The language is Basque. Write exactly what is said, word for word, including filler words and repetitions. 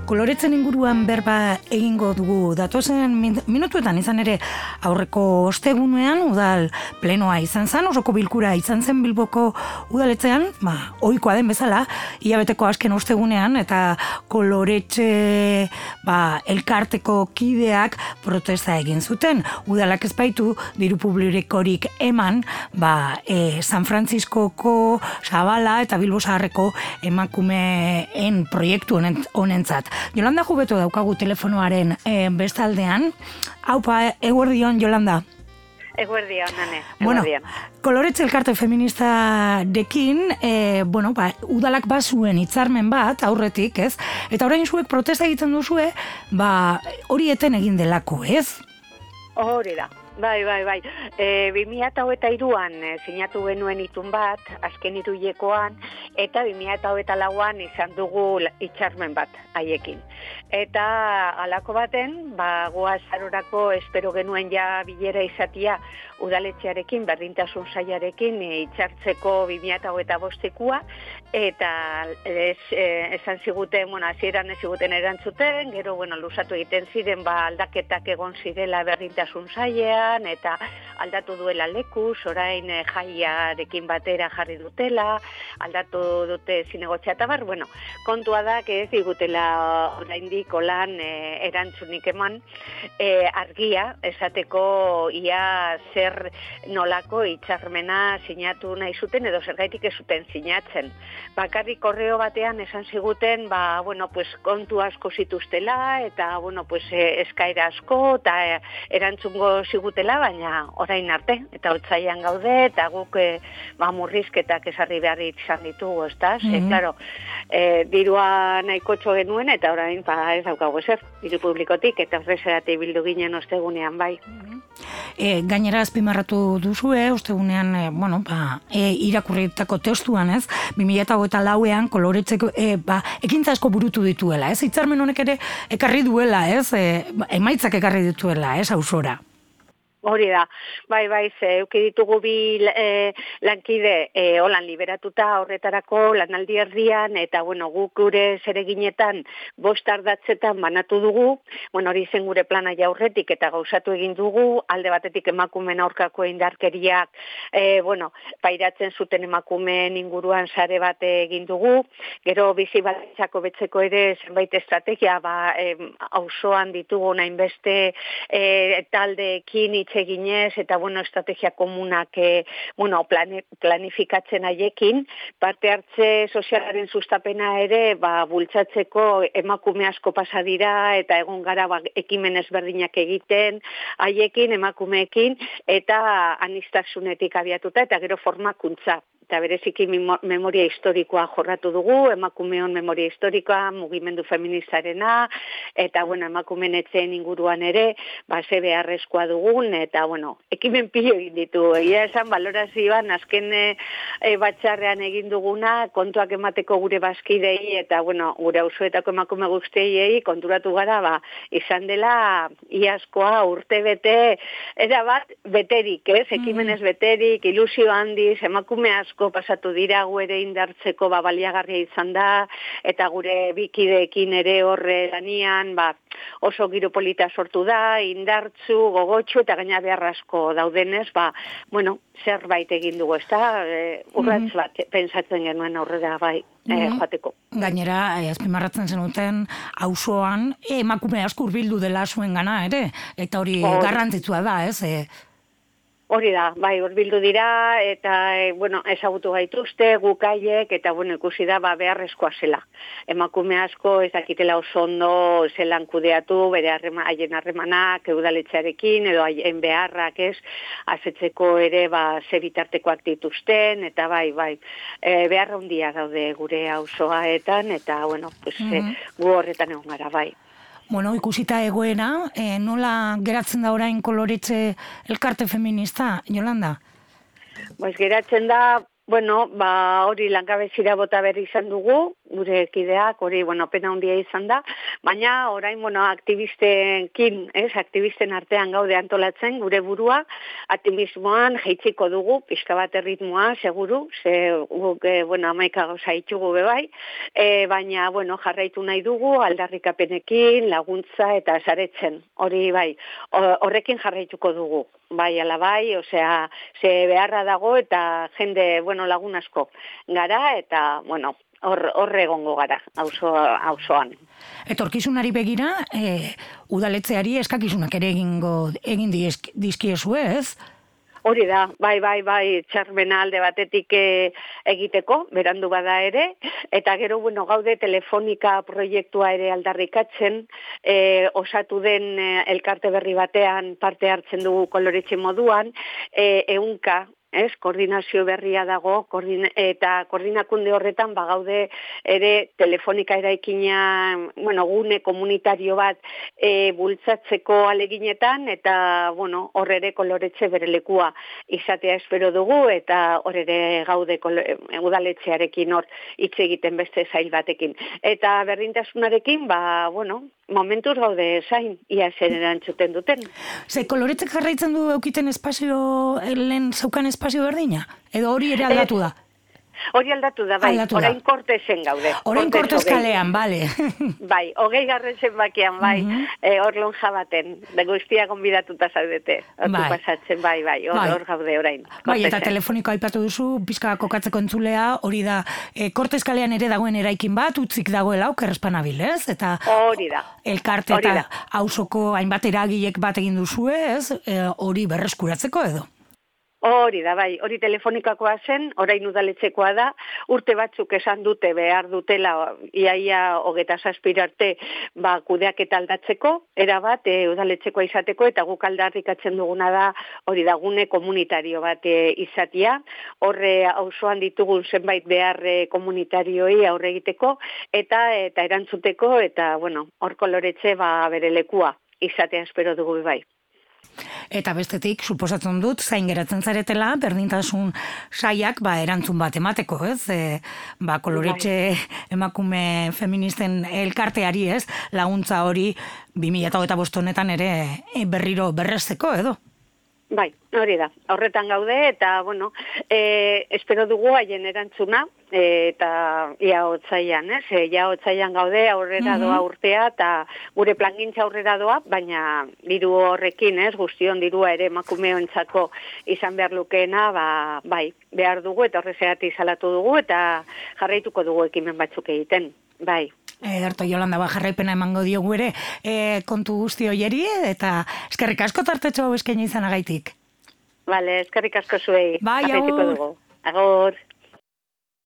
koloretzen inguruan berba egingo dugu datozen min- minutuetan izan ere aurreko ostegunean udal plenoa izan zen, osoko bilkura izan zen Bilboko udaletzean, ba, ohikoa den bezala, hilabeteko azken ostegunean eta koloretxe ba, elkarteko kideak protesta egin zuten. Udalak ez baitu diru publikorik eman ba, e, San Frantziskoko Zabala eta Bilbo Zaharreko emakumeen proiektu honen, honentzat. Yolanda Jubeto daukagu telefonoaren e, bestaldean. Haupa, eguerdion, Yolanda. Eguerdion, nane. Bueno, koloretxe elkarte feministarekin, e, bueno, ba, udalak bazuen hitzarmen bat, aurretik, ez? Eta orain zuek protesta egiten duzue, ba, hori eten egin delako, ez? Hori da. Bai, bai, bai. E, bi mila hogeita hiruan e, sinatu genuen itun bat, azken hiruilekoan, eta bi mila hogeita lauan izan dugu hitzarmen bat haiekin. Eta halako baten, ba, goaz arorako espero genuen ja bilera izatia udaletxearekin, berdintasun sailarekin hitzartzeko bi mila hogeita bostekua, eta ez, e, esan ziguten, bueno, hasieran ez ziguten erantzuten, gero, bueno, luzatu egiten ziren, ba, aldaketak egon zirela berdintasun sailea, eta aldatu duela lekuz, orain eh, jaiarekin batera jarri dutela, aldatu dute zinegotzea eta bar, bueno, kontua da, ez digutela oraindik olan eh, erantzunik eman, eh, argia, esateko ia zer nolako hitzarmena sinatu nahi zuten, edo zergaitik ez zuten sinatzen. Bakarrik korreo batean esan ziguten, ba, bueno, pues, kontu asko zituztela, eta, bueno, pues, eh, eskaera asko, eta eh, erantzungo ziguten baina orain arte, eta otsailean gaude, eta guk e, ba, murrizketak esarri behar izan ditugu, ezta? Mm -hmm. Claro, e, dirua nahikotxo genuen, eta orain ba, ez daukagu ezer, diru publikotik, eta horrezerate bildu ginen ostegunean bai. Mm -hmm. E, gainera azpimarratu duzue, ostegunean, e, bueno, ba, e, irakurritako testuan, ez? bi mila hogeita lauean koloretzeko, e, ba, ekintza asko burutu dituela, ez? Hitzarmen honek ere ekarri duela, ez? E, emaitzak ekarri dituela, ez? Auzora. Hori da, bai, bai, ze, euki ditugu bi e, lankide e, holan liberatuta horretarako lanaldi erdian, eta, bueno, guk gure zereginetan bost ardatzetan banatu dugu, bueno, hori zen gure plana jaurretik, eta gauzatu egin dugu, alde batetik emakumeen aurkako indarkeriak, e, bueno, pairatzen zuten emakumeen inguruan sare bat egin dugu, gero bizi baldintzak betzeko ere zenbait estrategia, ba, e, auzoan ditugu nainbeste e, taldeekin eginez, eta bueno, estrategia komunak e, bueno, plan, planifikatzen haiekin, parte hartze sozialaren sustapena ere ba, bultzatzeko emakume asko pasa dira, eta egon gara ba, ekimen ezberdinak egiten haiekin, emakumeekin, eta aniztasunetik abiatuta, eta gero formakuntza. Eta bereziki memoria historikoa jorratu dugu, emakumeon memoria historikoa, mugimendu feministarena, eta, bueno, emakumeen etzeen inguruan ere, ba, ze beharrezkoa dugun, eta, bueno, ekimen pilo egin ditu. Egia esan, balorazioan, azken e, batxarrean egin duguna, kontuak emateko gure bazkidei, eta, bueno, gure auzoetako emakume guztiei konturatu gara, ba, izan dela iazkoa urte bete, era bat, beterik, ez? Ekimenez beterik, ilusio handiz, emakume asko pasatu dira, gu ere indartzeko ba, baliagarria izan da, eta gure bikideekin ere horre lanian, ba, oso giro polita sortu da, indartzu, gogotxu, eta gaina behar asko daudenez, ba, bueno, zerbait egin dugu, ez da, e, urratz bat, pensatzen genuen aurrera bai, e, joateko. Gainera, e, azpimarratzen zenuten, auzoan emakume asko hurbildu dela zuen gana, ere, eta hori oh. garrantzitsua da, ez, e, Hori da, bai, hurbildu dira, eta, e, bueno, ezagutu gaituzte, gukaiek, eta, bueno, ikusi da, ba, beharrezkoa zela. Emakume asko, ez dakitela oso ondo zelan kudeatu, bere harrema, haien harremanak, udaletxearekin, edo haien beharrak, ez, azetzeko ere, ba, ze bitartekoak dituzten, eta, bai, bai, e, beharra handia daude gure auzoaetan, eta, bueno, pues, mm-hmm. e, gu horretan egon gara, bai. Bueno, ikusita egoera, eh, nola geratzen da orain koloretxe elkarte feminista, Yolanda? Pues geratzen da, bueno, ba, hori langabezira bota berri izan dugu, gure kideak, hori, bueno, pena handia izan da, baina orain, bueno, aktivistenkin, ez, aktivisten artean gaude antolatzen, gure burua, aktivismoan jeitziko dugu, pixka bat erritmoa, seguru, ze, guk, e, bueno, amaika gauza itxugu bebai, e, baina, bueno, jarraitu nahi dugu, aldarrikapenekin, laguntza eta saretzen, hori bai, horrekin jarraituko dugu. Bai, ala bai, osea, ze beharra dago eta jende, bueno, lagun asko gara eta, bueno, hor, horre egongo gara, auzo, auzoan. Etorkizunari begira, e, udaletzeari eskakizunak ere egingo, egin dizkiezu, ez? Hori da, bai, bai, bai, txarmena alde batetik e, egiteko, berandu bada ere, eta gero, bueno, gaude telefonika proiektua ere aldarrikatzen, e, osatu den e, elkarte berri batean parte hartzen dugu koloretxe moduan, e, eunka, ez, koordinazio berria dago, koordina, eta koordinakunde horretan bagaude ere telefonika eraikina, bueno, gune komunitario bat e, bultzatzeko aleginetan, eta, bueno, hor ere koloretxe bere lekua izatea espero dugu, eta hor ere gaude kolore, udaletxearekin hor hitz egiten beste zail batekin. Eta berdintasunarekin, ba, bueno, momentuz gaude zain, ia zer erantzuten duten. Ze koloretzek jarraitzen du eukiten espazio, lehen zeukan espazio berdina? Edo hori ere aldatu da? Hori aldatu da, bai, aldatu orain kortezen gaude. Orain kortez kalean, bale. Bai, hogei garren zenbakian, bai, uh -huh. e, hor lonja baten, da guztia gonbidatuta zaudete, hor bai. pasatzen, bai, bai, hor, bai. hor gaude orain. Kortezen. Bai, eta telefoniko aipatu duzu, pizka kokatzeko entzulea, hori da, e, kortez kalean ere dagoen eraikin bat, utzik dagoela, okerrezpanabil, ez? Eta hori da. Elkarte eta auzoko hainbat eragilek bat egin duzue, ez? E, hori berreskuratzeko edo? Hori da, bai, hori telefonikakoa zen, orain udaletxekoa da, urte batzuk esan dute behar dutela, iaia hogeta zazpira arte, ba, kudeak eta aldatzeko, erabat, e, udaletxekoa izateko, eta guk aldarrikatzen duguna da, hori da, gune komunitario bat e, izatia, horre auzoan ditugun zenbait behar e, komunitarioi aurre egiteko, eta eta erantzuteko, eta, bueno, hor koloretxe, ba, bere lekua izatea espero dugu bai. Eta bestetik, suposatzen dut, zain geratzen zaretela, berdintasun saiak, ba, erantzun bat emateko, ez? E, ba, koloretxe emakume feministen elkarteari, ez? Laguntza hori bi mila hogeita bost honetan ere berriro berrezteko, edo? Bai, hori da, horretan gaude, eta, bueno, e, espero dugu haien erantzuna, e, eta ia otzaian, ez? E, ia otzaian gaude, aurrera doa urtea, eta gure plangintza aurrera doa, baina diru horrekin, ez? Guztion dirua ere emakumeontzako izan behar lukeena, ba, bai, behar dugu, eta horrezeati salatu dugu, eta jarraituko dugu ekimen batzuk egiten, bai. Ederto, Jolanda, ba, jarraipena emango diogu ere e, kontu guzti hoieri, eta eskerrik asko tartetxo hau eskaini izanagaitik. Vale, eskerrik asko zuei. Bai, agur. Agur.